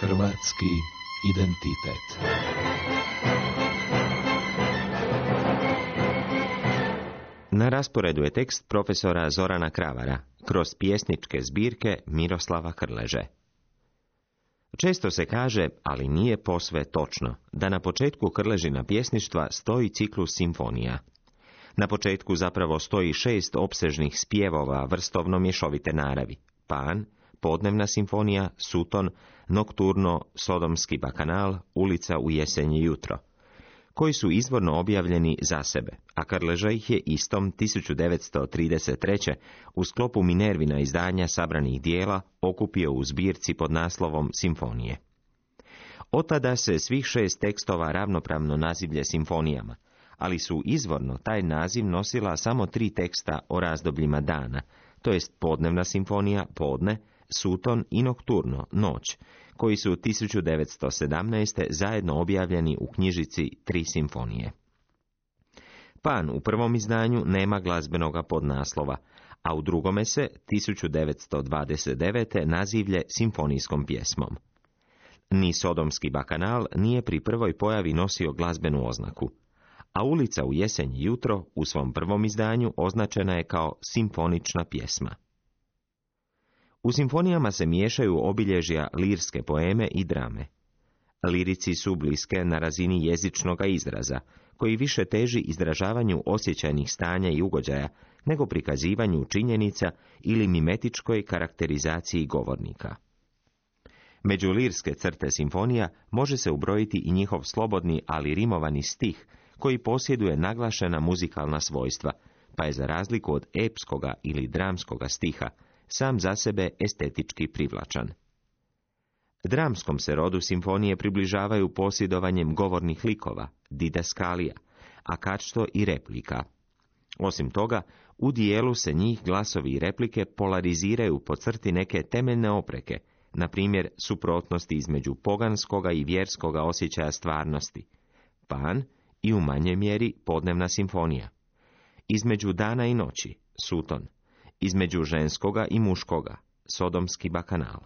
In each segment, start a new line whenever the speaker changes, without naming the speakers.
Hrvatski identitet.
Na rasporedu je tekst profesora Zorana Kravara kroz pjesničke zbirke Miroslava Krleže. Često se kaže, ali nije posve točno, da na početku Krležina pjesništva stoji ciklus simfonija. Na početku zapravo stoji 6 opsežnih spjevova vrstovno mješovite naravi: Pan, Podnevna simfonija, Suton, Nokturno, Sodomski bakanal, Ulica u jesenje jutro, koji su izvorno objavljeni za sebe, a Krleža ih je istom 1933. u sklopu Minervina izdanja sabranih dijela okupio u zbirci pod naslovom Simfonije. Otada se svih 6 tekstova ravnopravno nazivlje simfonijama, ali su izvorno taj naziv nosila samo 3 teksta o razdobljima dana, to jest Podnevna simfonija, podne, Suton i Nokturno, noć, koji su 1917. zajedno objavljeni u knjižici 3 simfonije. Pan u prvom izdanju nema glazbenoga podnaslova, a u drugome se 1929. nazivlje simfonijskom pjesmom. Ni Sodomski bakanal nije pri prvoj pojavi nosio glazbenu oznaku, a Ulica u jesenje jutro u svom prvom izdanju označena je kao simfonična pjesma. U simfonijama se miješaju obilježja lirske poeme i drame. Lirici su bliske na razini jezičnoga izraza, koji više teži izražavanju osjećajnih stanja i ugođaja, nego prikazivanju činjenica ili mimetičkoj karakterizaciji govornika. Među lirske crte simfonija može se ubrojiti i njihov slobodni, ali rimovani stih, koji posjeduje naglašena muzikalna svojstva, pa je za razliku od epskoga ili dramskoga stiha sam za sebe estetički privlačan. Dramskom se rodu simfonije približavaju posjedovanjem govornih likova, didaskalija, a kačto i replika. Osim toga, u dijelu se njih glasovi i replike polariziraju po crti neke temeljne opreke, na primjer suprotnosti između poganskoga i vjerskoga osjećaja stvarnosti, Pan i u manjoj mjeri Podnevna simfonija, između dana i noći, Suton, između ženskoga i muškoga, Sodomski bakanal.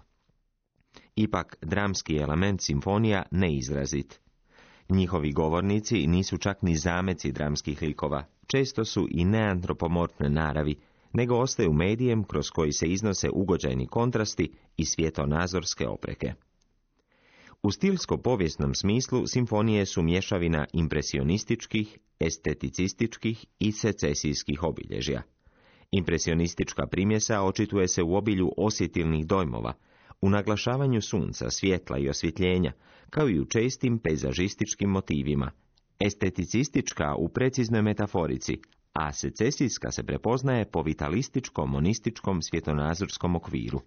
Ipak, dramski element simfonija neizrazit. Njihovi govornici nisu čak ni zameci dramskih likova, često su i neantropomorfne naravi, nego ostaju medijem kroz koji se iznose ugođajni kontrasti i svjetonazorske opreke. U stilsko-povijesnom smislu simfonije su mješavina impresionističkih, esteticističkih i secesijskih obilježja. Impresionistička primjesa očituje se u obilju osjetilnih dojmova, u naglašavanju sunca, svjetla i osvjetljenja, kao i u čestim pejzažističkim motivima, esteticistička u preciznoj metaforici, a secesijska se prepoznaje po vitalističko-monističkom svjetonazorskom okviru.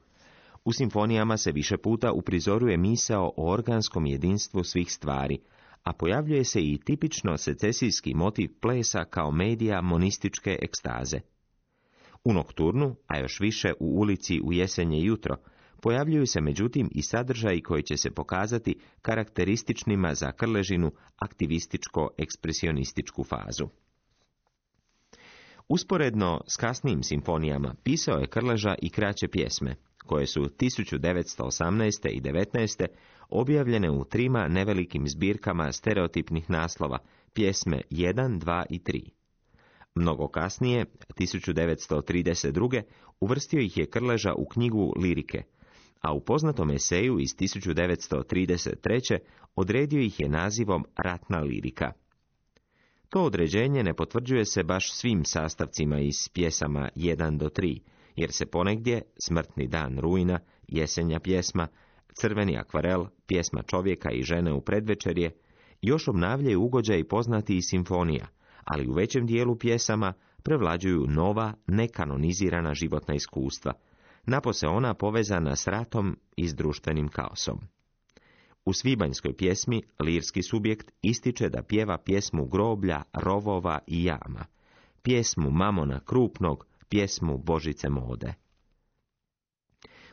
U simfonijama se više puta uprizoruje misao o organskom jedinstvu svih stvari, a pojavljuje se i tipično secesijski motiv plesa kao medija monističke ekstaze. U Nokturnu, a još više u Ulici u jesenje jutro, pojavljuju se međutim i sadržaji koji će se pokazati karakterističnima za Krležinu aktivističko-ekspresionističku fazu. Usporedno s kasnijim simfonijama pisao je Krleža i kraće pjesme, koje su 1918. i 19. objavljene u 3 nevelikim zbirkama stereotipnih naslova, pjesme 1, 2 i 3. Mnogo kasnije, 1932. uvrstio ih je Krleža u knjigu Lirike, a u poznatom eseju iz 1933. odredio ih je nazivom Ratna lirika. To određenje ne potvrđuje se baš svim sastavcima iz pjesama 1 do 3, jer se ponegdje Smrtni dan rujna, Jesenja pjesma, Crveni akvarel, Pjesma čovjeka i žene u predvečerje još obnavljaju ugođaji poznati iz simfonija, ali u većem dijelu pjesama prevlađuju nova, nekanonizirana životna iskustva, napose ona povezana s ratom i s društvenim kaosom. U svibanjskoj pjesmi lirski subjekt ističe da pjeva pjesmu groblja, rovova i jama, pjesmu Mamona krupnog, pjesmu Božice mode.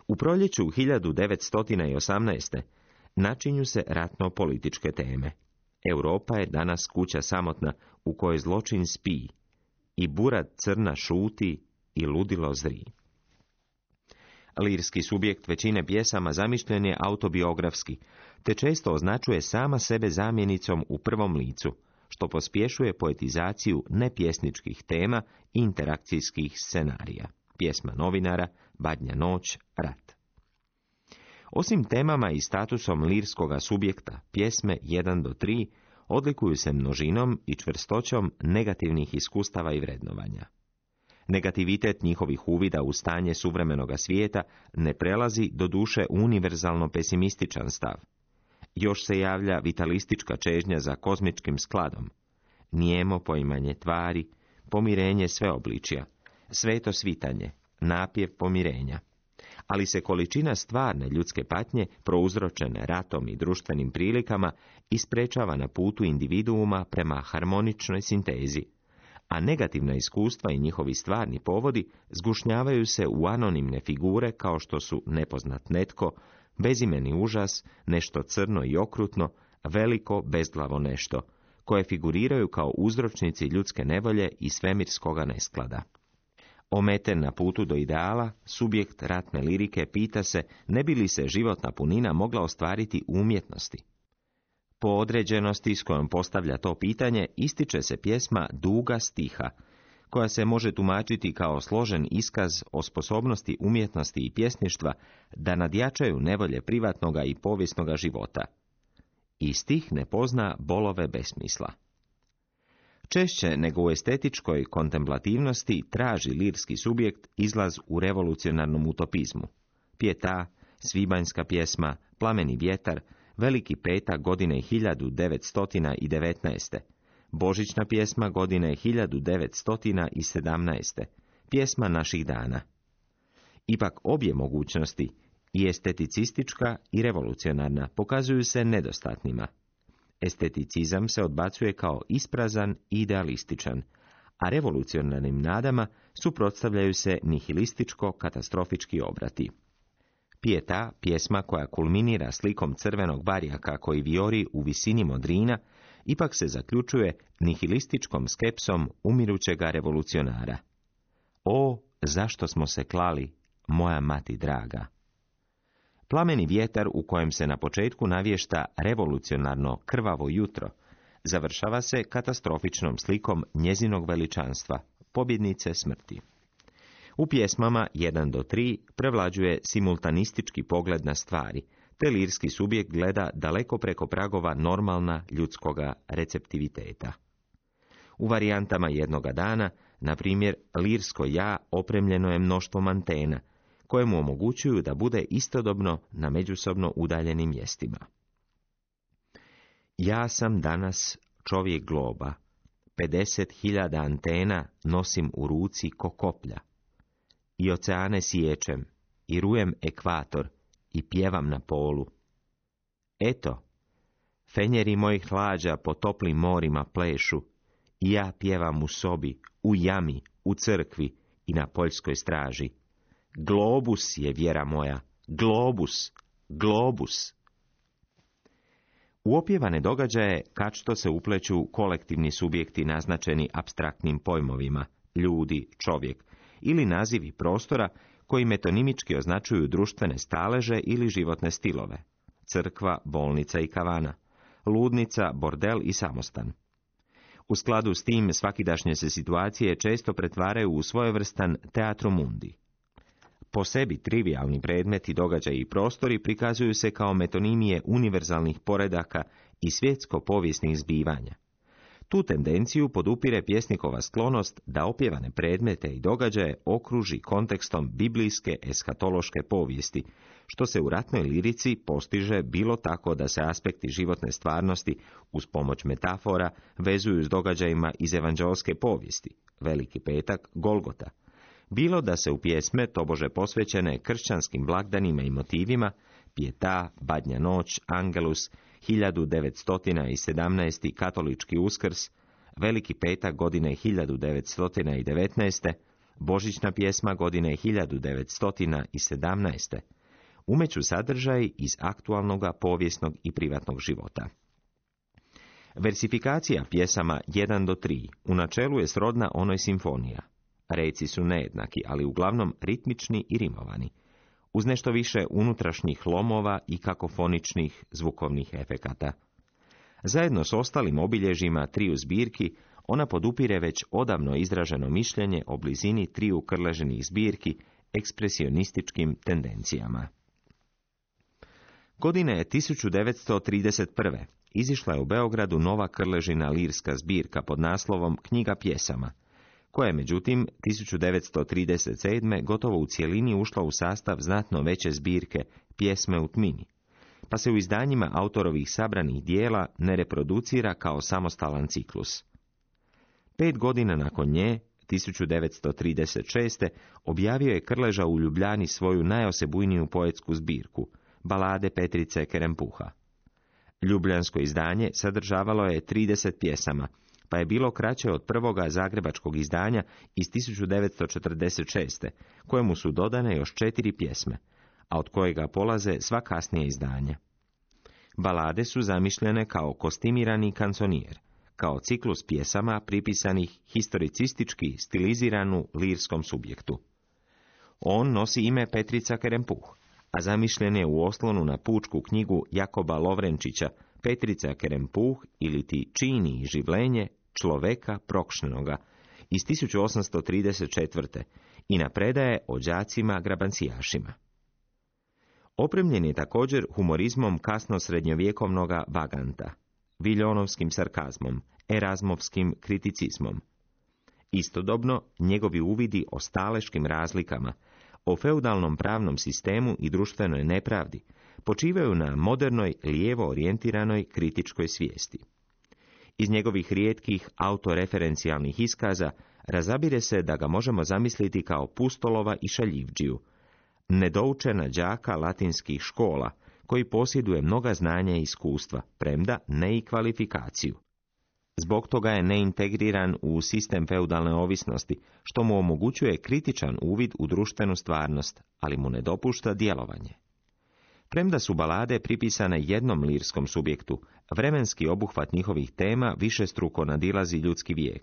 U proljeću 1918. načinju se ratno-političke teme. Europa je danas kuća samotna u kojoj zločin spi, i burad crna šuti i ludilo zri. Lirski subjekt većine pjesama zamišljen je autobiografski, te često označuje sama sebe zamjenicom u prvom licu, što pospješuje poetizaciju nepjesničkih tema i interakcijskih scenarija. Pjesma novinara, Badnja noć, rat. Osim temama i statusom lirskoga subjekta, pjesme 1 do 3 odlikuju se množinom i čvrstoćom negativnih iskustava i vrednovanja. Negativitet njihovih uvida u stanje suvremenoga svijeta ne prelazi do duše univerzalno pesimističan stav. Još se javlja vitalistička čežnja za kozmičkim skladom, nijemo poimanje tvari, pomirenje sveobličja, sveto svitanje, napjev pomirenja. Ali se količina stvarne ljudske patnje, prouzročene ratom i društvenim prilikama, isprečava na putu individuuma prema harmoničnoj sintezi, a negativna iskustva i njihovi stvarni povodi zgušnjavaju se u anonimne figure kao što su nepoznat netko, bezimeni užas, nešto crno i okrutno, veliko bezglavo nešto, koje figuriraju kao uzročnici ljudske nevolje i svemirskoga nesklada. Ometen na putu do ideala, subjekt ratne lirike pita se ne bi li se životna punina mogla ostvariti u umjetnosti. Po određenosti s kojom postavlja to pitanje ističe se pjesma Duga stiha, koja se može tumačiti kao složen iskaz o sposobnosti umjetnosti i pjesništva da nadjačaju nevolje privatnoga i povijesnoga života. I stih ne pozna bolove besmisla. Češće nego u estetičkoj kontemplativnosti traži lirski subjekt izlaz u revolucionarnom utopizmu. Pjeta, Svibanjska pjesma, Plameni vjetar, Veliki petak godine 1919. Božićna pjesma godine 1917. Pjesma naših dana. Ipak obje mogućnosti, i esteticistička i revolucionarna, pokazuju se nedostatnima. Esteticizam se odbacuje kao isprazan i idealističan, a revolucionarnim nadama suprotstavljaju se nihilističko-katastrofički obrati. Pjeta, pjesma koja kulminira slikom crvenog barjaka koji vijori u visini modrina, ipak se zaključuje nihilističkom skepsom umirućega revolucionara. O, zašto smo se klali, moja mati draga! Plameni vjetar u kojem se na početku navješta revolucionarno krvavo jutro, završava se katastrofičnom slikom njezinog veličanstva, pobjednice smrti. U pjesmama 1 do 3 prevlađuje simultanistički pogled na stvari, te lirski subjekt gleda daleko preko pragova normalna ljudskoga receptiviteta. U varijantama jednoga dana, na primjer, lirsko ja opremljeno je mnoštvom antena, koje mu omogućuju da bude istodobno na međusobno udaljenim mjestima. Ja sam danas čovjek globa, 50.000 antena nosim u ruci ko koplja. I oceane siječem, i rujem ekvator, i pjevam na polu. Eto, fenjeri mojih hlađa po toplim morima plešu, i ja pjevam u sobi, u jami, u crkvi i na poljskoj straži. Globus je vjera moja, globus, globus. U opjevane događaje kačto se upleću kolektivni subjekti naznačeni apstraktnim pojmovima, ljudi, čovjek, ili nazivi prostora koji metonimički označuju društvene staleže ili životne stilove, crkva, bolnica i kavana, ludnica, bordel i samostan. U skladu s tim svakidašnje se situacije često pretvaraju u svojevrstan teatrum mundi. Po sebi trivialni predmeti, događaji i prostori prikazuju se kao metonimije univerzalnih poredaka i svjetsko-povijesnih zbivanja. Tu tendenciju podupire pjesnikova sklonost da opjevane predmete i događaje okruži kontekstom biblijske eskatološke povijesti, što se u ratnoj lirici postiže bilo tako da se aspekti životne stvarnosti uz pomoć metafora vezuju s događajima iz evanđeoske povijesti, Veliki petak, Golgota, bilo da se u pjesme tobože posvećene kršćanskim blagdanima i motivima, Pjeta, Badnja noć, Angelus, 1917. katolički Uskrs, Veliki petak godine 1919. Božićna pjesma godine 1917. umeću sadržaj iz aktualnoga povijesnog i privatnog života. Versifikacija pjesama 1 do 3 u načelu je srodna onoj simfonija. Reci su nejednaki, ali uglavnom ritmični i rimovani. uz nešto više unutrašnjih lomova i kakofoničnih zvukovnih efekata. Zajedno s ostalim obilježjima triju zbirki, ona podupire već odavno izraženo mišljenje o blizini triju Krležinih zbirki ekspresionističkim tendencijama. Godine 1931. izišla je u Beogradu nova Krležina lirska zbirka pod naslovom Knjiga pjesama, koja je međutim 1937. gotovo u cjelini ušla u sastav znatno veće zbirke Pjesme u tmini, pa se u izdanjima autorovih sabranih dijela ne reproducira kao samostalan ciklus. 5 godina nakon nje, 1936. objavio je Krleža u Ljubljani svoju najosebujniju poetsku zbirku, Balade Petrice Kerempuha. Ljubljansko izdanje sadržavalo je 30 pjesama, pa je bilo kraće od prvoga zagrebačkog izdanja iz 1946. kojemu su dodane još 4 pjesme, a od kojega polaze sva kasnija izdanja. Balade su zamišljene kao kostimirani kanconijer, kao ciklus pjesama pripisanih historicistički stiliziranu lirskom subjektu. On nosi ime Petrica Kerempuh, a zamišljen je u oslonu na pučku knjigu Jakoba Lovrenčića Petrica Kerempuh ili ti čini i življenje človeka prokšnenoga iz 1834. i na predaje o đacima grabancijašima. Opremljen je također humorizmom kasno srednjovjekovnoga vaganta, viljonovskim sarkazmom, erazmovskim kriticizmom. Istodobno, njegovi uvidi o staleškim razlikama, o feudalnom pravnom sistemu i društvenoj nepravdi počivaju na modernoj, lijevo orijentiranoj kritičkoj svijesti. Iz njegovih rijetkih autoreferencijalnih iskaza razabire se da ga možemo zamisliti kao pustolova i šaljivđiju, nedoučena đaka latinskih škola, koji posjeduje mnoga znanja i iskustva, premda ne i kvalifikaciju. Zbog toga je neintegriran u sistem feudalne ovisnosti, što mu omogućuje kritičan uvid u društvenu stvarnost, ali mu ne dopušta djelovanje. Premda su balade pripisane jednom lirskom subjektu, vremenski obuhvat njihovih tema višestruko nadilazi ljudski vijek.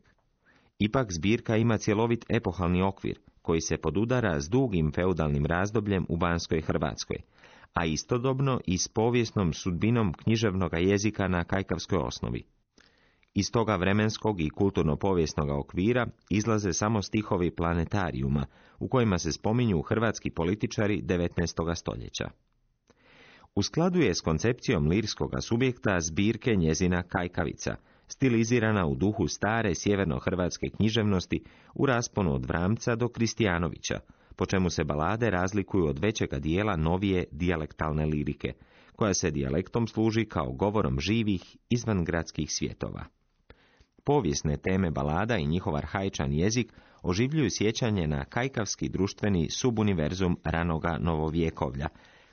Ipak zbirka ima cjelovit epohalni okvir, koji se podudara s dugim feudalnim razdobljem u Banskoj Hrvatskoj, a istodobno i s povijesnom sudbinom književnog jezika na kajkavskoj osnovi. Iz toga vremenskog i kulturno-povijesnog okvira izlaze samo stihovi planetarijuma, u kojima se spominju hrvatski političari 19. stoljeća. U skladu je s koncepcijom lirskoga subjekta zbirke njezina Kajkavica, stilizirana u duhu stare sjeverno-hrvatske književnosti u rasponu od Vramca do Kristijanovića, po čemu se balade razlikuju od većega dijela novije dijalektalne lirike, koja se dijalektom služi kao govorom živih izvangradskih svjetova. Povijesne teme balada i njihov arhaičan jezik oživljuju sjećanje na kajkavski društveni subuniverzum ranoga novovjekovlja,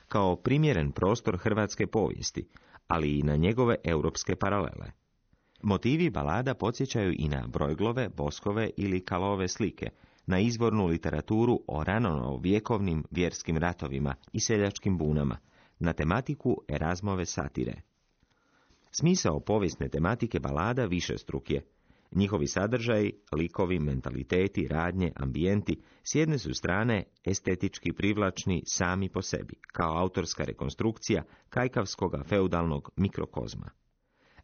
kao primjeren prostor hrvatske povijesti, ali i na njegove europske paralele. Motivi balada podsjećaju i na brojglove, boskove ili kalove slike, na izvornu literaturu o ranonovjekovnim vjerskim ratovima i seljačkim bunama, na tematiku Erazmove satire. Smisao povijesne tematike balada višestruk je. Njihovi sadržaji, likovi, mentaliteti, radnje, ambijenti s jedne su strane estetički privlačni sami po sebi, kao autorska rekonstrukcija kajkavskoga feudalnog mikrokozma.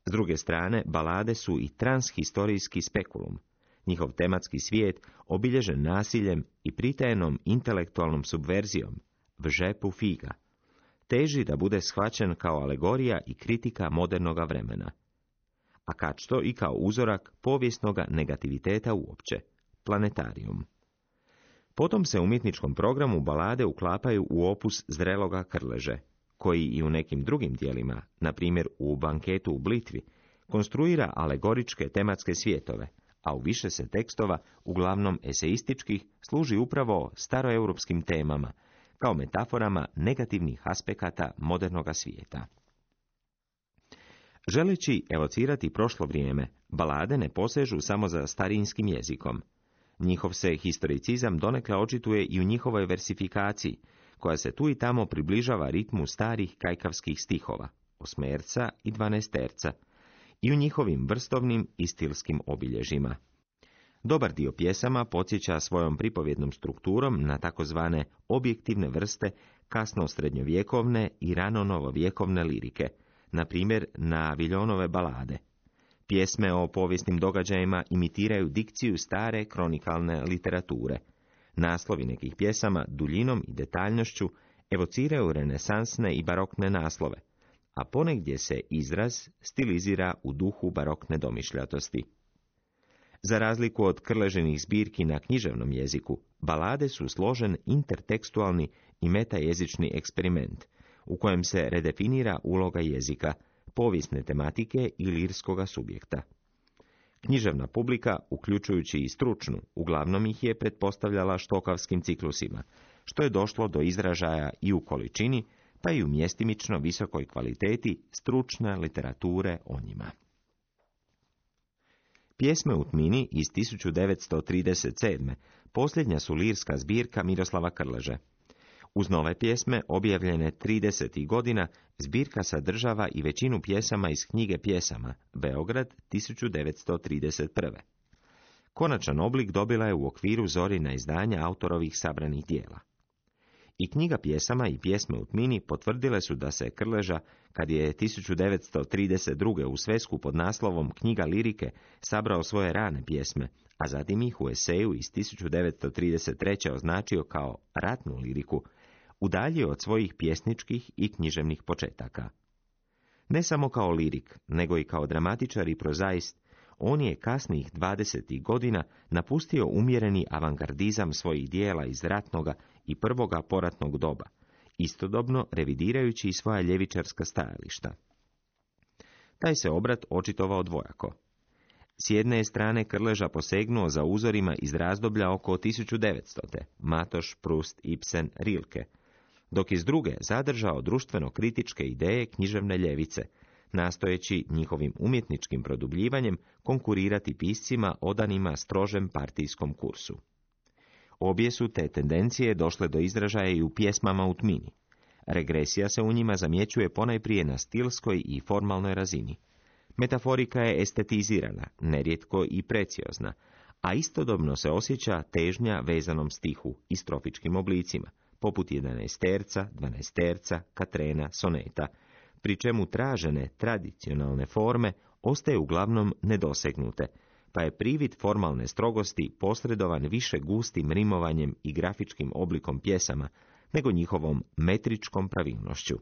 S druge strane, balade su i transhistorijski spekulum, njihov tematski svijet obilježen nasiljem i pritajenom intelektualnom subverzijom, v žepu figa, teži da bude shvaćen kao alegorija i kritika modernoga vremena, a kačto i kao uzorak povijesnoga negativiteta uopće, planetarijum. Potom se u umjetničkom programu balade uklapaju u opus zreloga Krleže, koji i u nekim drugim dijelima, na primjer u Banketu u Blitvi, konstruira alegoričke tematske svjetove, a u više se tekstova, uglavnom eseističkih, služi upravo staroeuropskim temama, kao metaforama negativnih aspekata modernoga svijeta. Želeći evocirati prošlo vrijeme, balade ne posežu samo za starinskim jezikom. Njihov se historicizam donekle očituje i u njihovoj versifikaciji, koja se tu i tamo približava ritmu starih kajkavskih stihova, osmerca i dvanaesterca, i u njihovim vrstovnim i stilskim obilježjima. Dobar dio pjesama podsjeća svojom pripovjednom strukturom na takozvane objektivne vrste kasno-srednjovjekovne i rano-novovjekovne lirike, na primjer na Viljonove balade. Pjesme o povijesnim događajima imitiraju dikciju stare kronikalne literature. Naslovi nekih pjesama duljinom i detaljnošću evociraju renesansne i barokne naslove, a ponegdje se izraz stilizira u duhu barokne domišljatosti. Za razliku od Krležinih zbirki na književnom jeziku, balade su složen intertekstualni i metajezični eksperiment, u kojem se redefinira uloga jezika, povijesne tematike i lirskoga subjekta. Književna publika, uključujući i stručnu, uglavnom ih je pretpostavljala štokavskim ciklusima, što je došlo do izražaja i u količini, pa i u mjestimično visokoj kvaliteti stručne literature o njima. Pjesme u tmini iz 1937. posljednja su lirska zbirka Miroslava Krleže. Uz nove pjesme, objavljene 30. godina, zbirka sadržava i većinu pjesama iz knjige pjesama Beograd 1931. Konačan oblik dobila je u okviru Zorina izdanja autorovih sabranih dijela. I knjiga pjesama i pjesme u tmini potvrdile su da se Krleža, kad je 1932. u svesku pod naslovom Knjiga lirike sabrao svoje rane pjesme, a zatim ih u eseju iz 1933. označio kao ratnu liriku, udaljio od svojih pjesničkih i književnih početaka. Ne samo kao lirik, nego i kao dramatičar i prozaist, on je kasnijih 20. godina napustio umjereni avangardizam svojih dijela iz ratnoga i prvoga poratnog doba, istodobno revidirajući i svoja ljevičarska stajališta. Taj se obrat očitovao dvojako. S jedne je strane Krleža posegnuo za uzorima iz razdoblja oko 1900. Matoš, Prust, Ibsen, Rilke, dok iz druge zadržao društveno-kritičke ideje književne ljevice, nastojeći njihovim umjetničkim produbljivanjem konkurirati piscima odanima strožem partijskom kursu. Obje su te tendencije došle do izražaja i u pjesmama u tmini. Regresija se u njima zamjećuje ponajprije na stilskoj i formalnoj razini. Metaforika je estetizirana, nerijetko i preciozna, a istodobno se osjeća težnja vezanom stihu i strofičkim oblicima, poput 11-terca, 12-terca, katrena, soneta, pri čemu tražene tradicionalne forme ostaju uglavnom nedosegnute, pa je privid formalne strogosti posredovan više gustim rimovanjem i grafičkim oblikom pjesama, nego njihovom metričkom pravilnošću.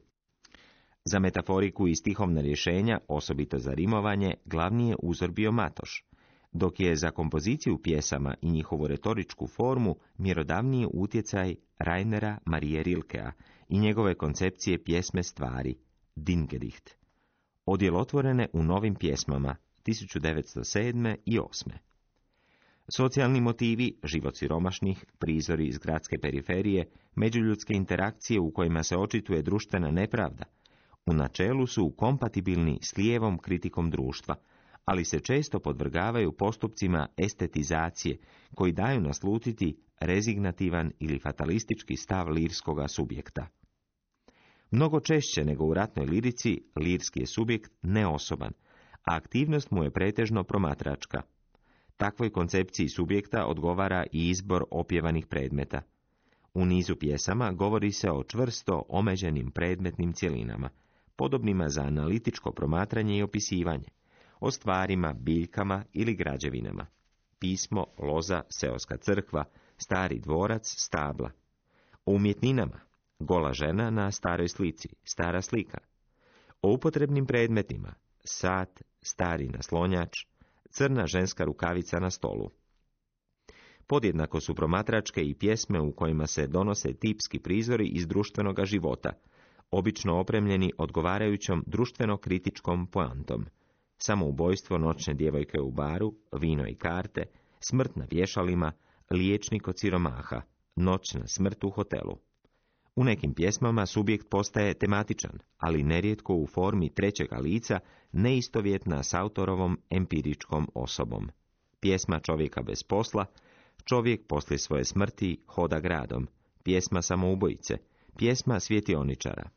Za metaforiku i stihovna rješenja, osobito za rimovanje, glavni je uzor bio Matoš, dok je za kompoziciju pjesama i njihovu retoričku formu mjerodavniji utjecaj Rainera Marije Rilkea i njegove koncepcije pjesme stvari, Dingedicht, odjelotvorene u novim pjesmama 1907. i 1908. Socijalni motivi, život siromašnih, prizori iz gradske periferije, međuljudske interakcije u kojima se očituje društvena nepravda, u načelu su kompatibilni s lijevom kritikom društva, ali se često podvrgavaju postupcima estetizacije koji daju naslutiti rezignativan ili fatalistički stav lirskoga subjekta. Mnogo češće nego u ratnoj lirici, lirski je subjekt neosoban, a aktivnost mu je pretežno promatračka. Takvoj koncepciji subjekta odgovara i izbor opjevanih predmeta. U nizu pjesama govori se o čvrsto omeđenim predmetnim cjelinama, podobnima za analitičko promatranje i opisivanje, o stvarima, biljkama ili građevinama. Pismo, loza, seoska crkva, stari dvorac, stabla. O umjetninama, gola žena na staroj slici, stara slika. O upotrebnim predmetima, sat, stari naslonjač, crna ženska rukavica na stolu. Podjednako su promatračke i pjesme u kojima se donose tipski prizori iz društvenoga života, obično opremljeni odgovarajućom društveno-kritičkom poantom. Samoubojstvo noćne djevojke u baru, vino i karte, smrt na vješalima, liječnik od siromaha, noćna smrt u hotelu. U nekim pjesmama subjekt postaje tematičan, ali nerijetko u formi trećega lica, neistovjetna s autorovom empiričkom osobom. Pjesma čovjeka bez posla, čovjek poslije svoje smrti hoda gradom, pjesma samoubojice, pjesma svjetioničara.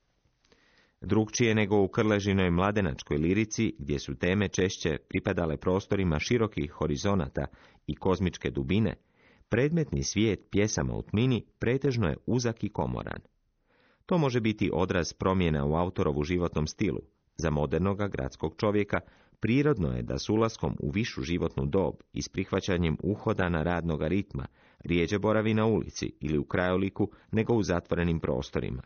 Drukčije nego u Krležinoj mladenačkoj lirici, gdje su teme češće pripadale prostorima širokih horizonata i kozmičke dubine, predmetni svijet pjesama u tmini pretežno je uzak i komoran. To može biti odraz promjena u autorovu životnom stilu. Za modernoga gradskog čovjeka prirodno je da s ulaskom u višu životnu dob i s prihvaćanjem uhodana radnoga ritma rijeđe boravi na ulici ili u krajoliku nego u zatvorenim prostorima,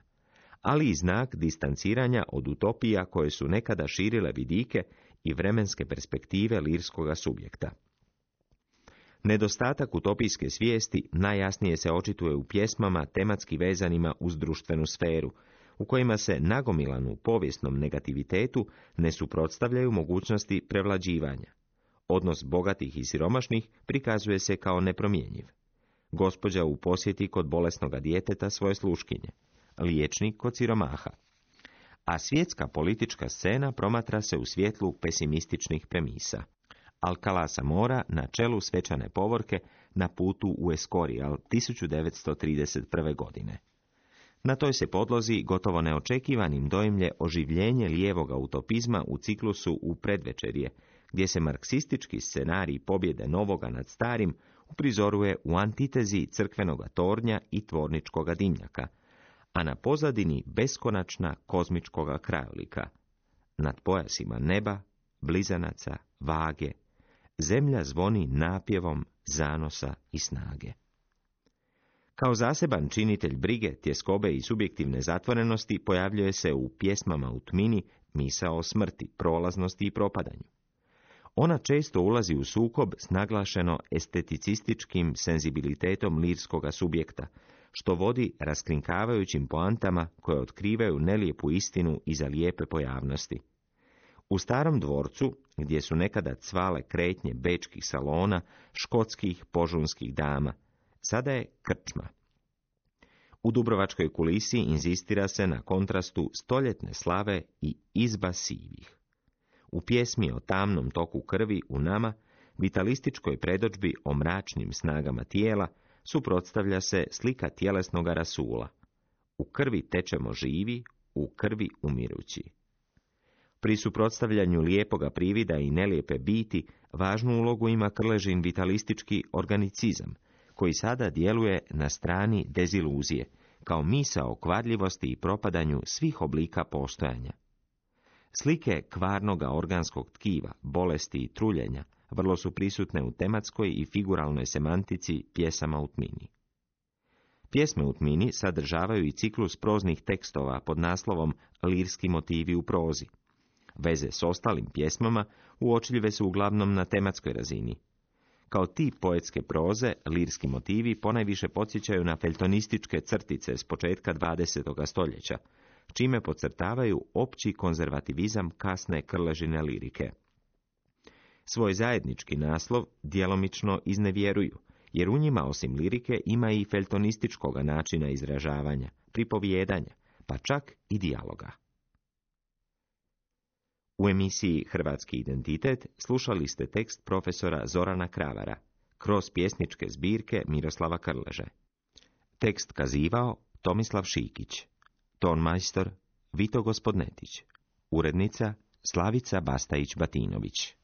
ali i znak distanciranja od utopija koje su nekada širile vidike i vremenske perspektive lirskoga subjekta. Nedostatak utopijske svijesti najjasnije se očituje u pjesmama tematski vezanima uz društvenu sferu, u kojima se nagomilanu povijesnom negativitetu ne suprotstavljaju mogućnosti prevlađivanja. Odnos bogatih i siromašnih prikazuje se kao nepromjenjiv. Gospođa u posjeti kod bolesnoga djeteta svoje sluškinje, liječnik kod siromaha. A svjetska politička scena promatra se u svjetlu pesimističnih premisa. Alcalá Zamora na čelu svečane povorke na putu u Escorial 1931. godine. Na toj se podlozi gotovo neočekivanim dojmlje oživljenje lijevoga utopizma u ciklusu u predvečerje, gdje se marksistički scenarij pobjede novoga nad starim uprizoruje u antitezi crkvenoga tornja i tvorničkoga dimnjaka, a na pozadini beskonačna kozmičkoga krajolika. Nad pojasima neba, blizanaca, vage, zemlja zvoni napjevom zanosa i snage. Kao zaseban činitelj brige, tjeskobe i subjektivne zatvorenosti pojavljuje se u pjesmama u tmini misao o smrti, prolaznosti i propadanju. Ona često ulazi u sukob s naglašeno esteticističkim senzibilitetom lirskoga subjekta, što vodi raskrinkavajućim poantama koje otkrivaju nelijepu istinu iza lijepe pojavnosti. U starom dvorcu, gdje su nekada cvale kretnje bečkih salona, škotskih požunskih dama, sada je krčma. U dubrovačkoj kulisi inzistira se na kontrastu stoljetne slave i izba sivih. U pjesmi o tamnom toku krvi u nama, vitalističkoj predodžbi o mračnim snagama tijela, suprotstavlja se slika tjelesnoga rasula. U krvi tečemo živi, u krvi umirući. Pri suprotstavljanju lijepoga privida i nelijepe biti, važnu ulogu ima Krležin vitalistički organicizam, koji sada djeluje na strani deziluzije, kao misao o kvadljivosti i propadanju svih oblika postojanja. Slike kvarnoga organskog tkiva, bolesti i truljenja vrlo su prisutne u tematskoj i figuralnoj semantici pjesama u tmini. Pjesme u tmini sadržavaju i ciklus proznih tekstova pod naslovom Lirski motivi u prozi. Veze s ostalim pjesmama uočljive su uglavnom na tematskoj razini. Kao tip poetske proze, lirski motivi ponajviše podsjećaju na feljtonističke crtice s početka 20. stoljeća, čime podcrtavaju opći konzervativizam kasne Krležine lirike. Svoj zajednički naslov djelomično iznevjeruju, jer u njima osim lirike ima i feljtonističkoga načina izražavanja, pripovijedanja, pa čak i dijaloga. U emisiji Hrvatski identitet slušali ste tekst profesora Zorana Kravara, kroz pjesničke zbirke Miroslava Krleže. Tekst kazivao Tomislav Šikić, tonmajstor Vito Gospodnetić, urednica Slavica Bastajić-Batinović.